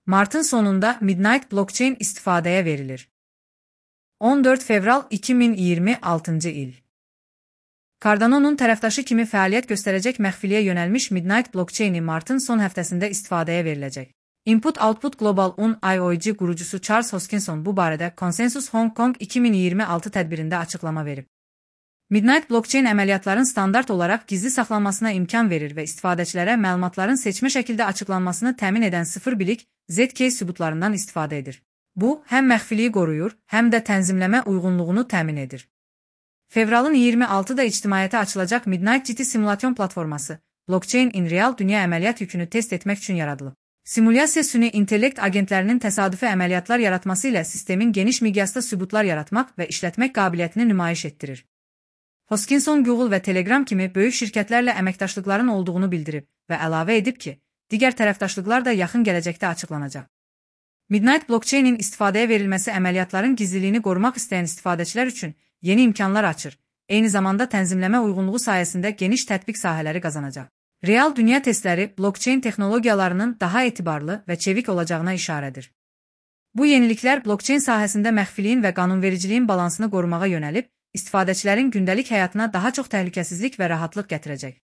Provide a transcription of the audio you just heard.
Martın sonunda Midnight Blockchain istifadəyə verilir. 14 fevral 2026 il. Cardano'nun tərəfdaşı kimi fəaliyyət göstərəcək məxfiliyə yönəlmiş Midnight Blockchain-i martın son həftəsində istifadəyə veriləcək. Input-Output Global IOG qurucusu Charles Hoskinson bu barədə Consensus Hong Kong 2026 tədbirində açıqlama verib. Midnight Blockchain əməliyyatların standart olaraq gizli saxlanmasına imkan verir və istifadəçilərə məlumatların seçmə şəkildə açıqlanmasını təmin edən sıfır bilik ZK sübutlarından istifadə edir. Bu, həm məxfiliyi qoruyur, həm də tənzimləmə uyğunluğunu təmin edir. Fevralın 26-da ictimaiyyətə açılacaq Midnight GT simulation platforması, Blockchain in Real dünya əməliyyat yükünü test etmək üçün yaradılıb. Simulyasiya süni intellekt agentlərinin təsadüfi əməliyyatlar yaratması ilə sistemin geniş miqyasda sübutlar yaratmaq və işlətmək qabiliyyətini nümayiş etdirir. Hoskinson Google və Telegram kimi böyük şirkətlərlə əməkdaşlıqların olduğunu bildirib və əlavə edib ki, digər tərəfdaşlıqlar da yaxın gələcəkdə açıqlanacaq. Midnight Blockchain-in istifadəyə verilməsi əməliyyatların gizliliyini qorumaq istəyən istifadəçilər üçün yeni imkanlar açır, eyni zamanda tənzimləmə uyğunluğu sayəsində geniş tətbiq sahələri qazanacaq. Real dünya testləri blockchain texnologiyalarının daha etibarlı və çevik olacağına işarədir. Bu yeniliklər blockchain sahəsində məxfiliyin və qanunvericiliyin balansını qorumağa yönəlib, istifadəçilərin gündəlik həyatına daha çox təhlükəsizlik və rahatlıq gətirəcək.